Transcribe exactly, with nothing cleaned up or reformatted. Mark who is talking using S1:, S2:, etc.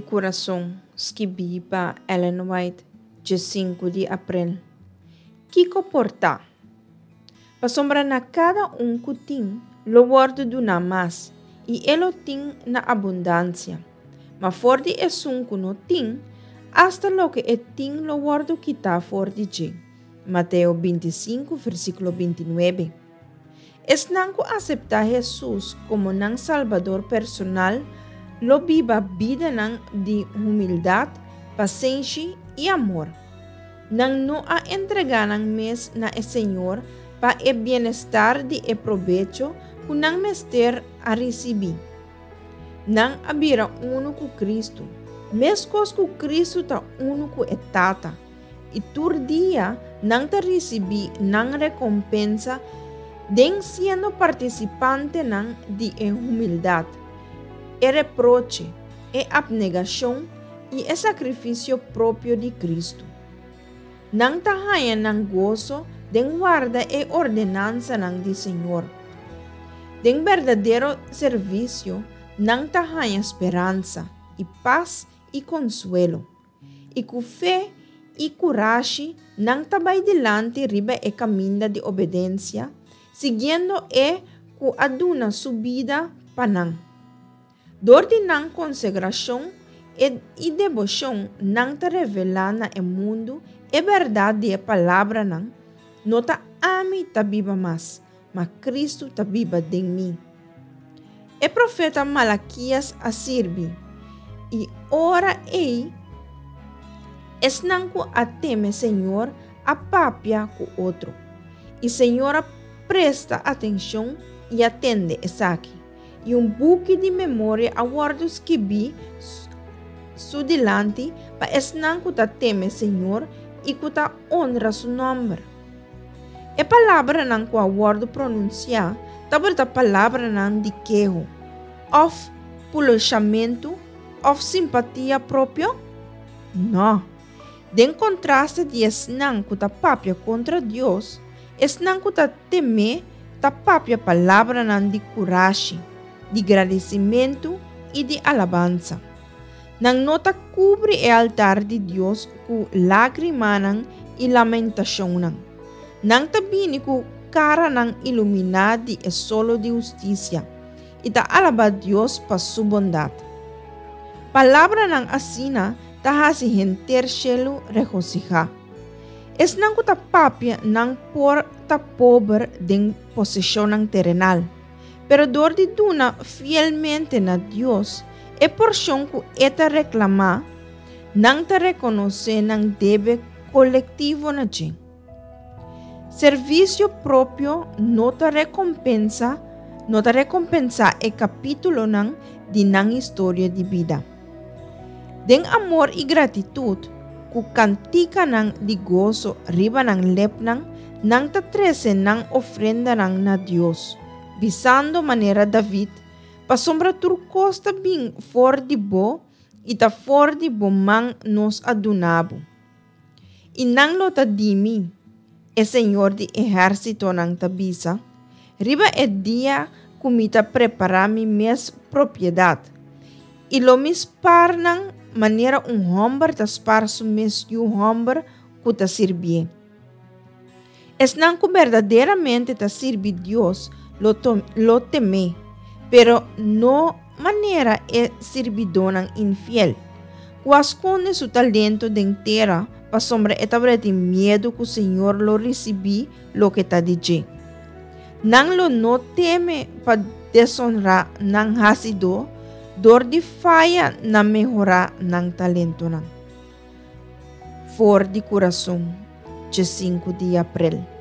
S1: Kurason, skibí pa Ellen White, diesinku di aprel. Kiko por ta? Pasobra na kada un ku tin, lo wòrdu duná mas, i e lo tin na abundansia. Ma for di esun ku no tin, asta loke e tin lo wòrdu kitá for di dje. Mateo bintisinku, versíkulo bintinuebe. Esnan ku aseptá Hesus komo nan Salbador personal lo biba bidanan di humildat, pasenshi i amor. Nan no a entregá nan mes na e Señor pa e bienestar di e probecho ku nan mester a risibí. Nan a bira unu ku Kristu, meskos ku Kristu ta unu ku e Tata, i tur dia nan ta risibí nan rekompensa den siendo partisipantenan di e humildat, e reproche, e apnegashon i e sakrifisio propio di Kristu. Nan ta haña nan goso den warda e ordenansanan di Señor. Den berdadero servisio nan ta haña speransa i pas i konsuelo. I ku fe i kurashi nan ta bai dilanti riba e kaminda di obedensia, siguiendo e ku a duna su bida pa nan. Dor di nan konsagrashon i deboshon nan ta revelá na e mundu e bèrdat di e palabranan, No ta ami ta biba mas, ma Kristu ta biba den mi. E profeta Malakias a sirbi, I ora ei esnan ku a teme Señor a papia ku otro, i Señor a presta atenshon i a tende esaki, i un buki di memoria a wòrdu skibí su dilanti pa esnan ku ta teme Señor i ku ta onra su nòmber. E palabranan ku a wòrdu pronunsiá tabata palabranan di keho, òf puloshamentu òf simpatia propio? Nò. Den kontraste di esnan ku ta papia kontra Dios, esnan ku ta tem'é ta papia palabranan di kurashi, di gradisimentu i di alabansa. Nan no ta kubri e altar di Dios ku lágrimanan i lamentashonnan. Nan ta bini ku karanan iluminá di e solo di hustisia i ta alabá Dios pa su bondat. Palabranan asina ta hasi henter shelu regosihá. Esnan ku ta papia nan por ta pober den poseshonnan terenal, pero dor di duna fielmente na Dios e porshon ku E ta reklamá, nan ta rekonosé nan debe kolektivo na dje. Servisio propio no ta rekompensa no ta rekompensá e kapítulonan di nan historia di bida. Den amor i gratitut, ku kantikanan di goso riba nan lepnan, nan ta trese nan ofrendanan na Dios, bisando manera David, Pasobra tur kos ta bin for di bo, i ta for di bo man nos a duna bo. I nan lo ta di mi, e Señor di ehérsitonan ta bisa, riba e dia ku mi ta prepará mi mes propiedat, i lo mi spar nan manera un hòmber ta spar su mes yu hòmber ku ta sirbié. Esnan ku berdaderamente ta sirbi Dios lo lo tem'é, pero no manera e sirbidónan infiel, ku a skonde su talento den tera pasobra e tabatin miedu ku Señor lo risibí loke ta di dje. Nan lo no teme pa desonrá nan Hasidó dor di faya na mehorá nan talentonan. For di kurason, dje sinku di aprel.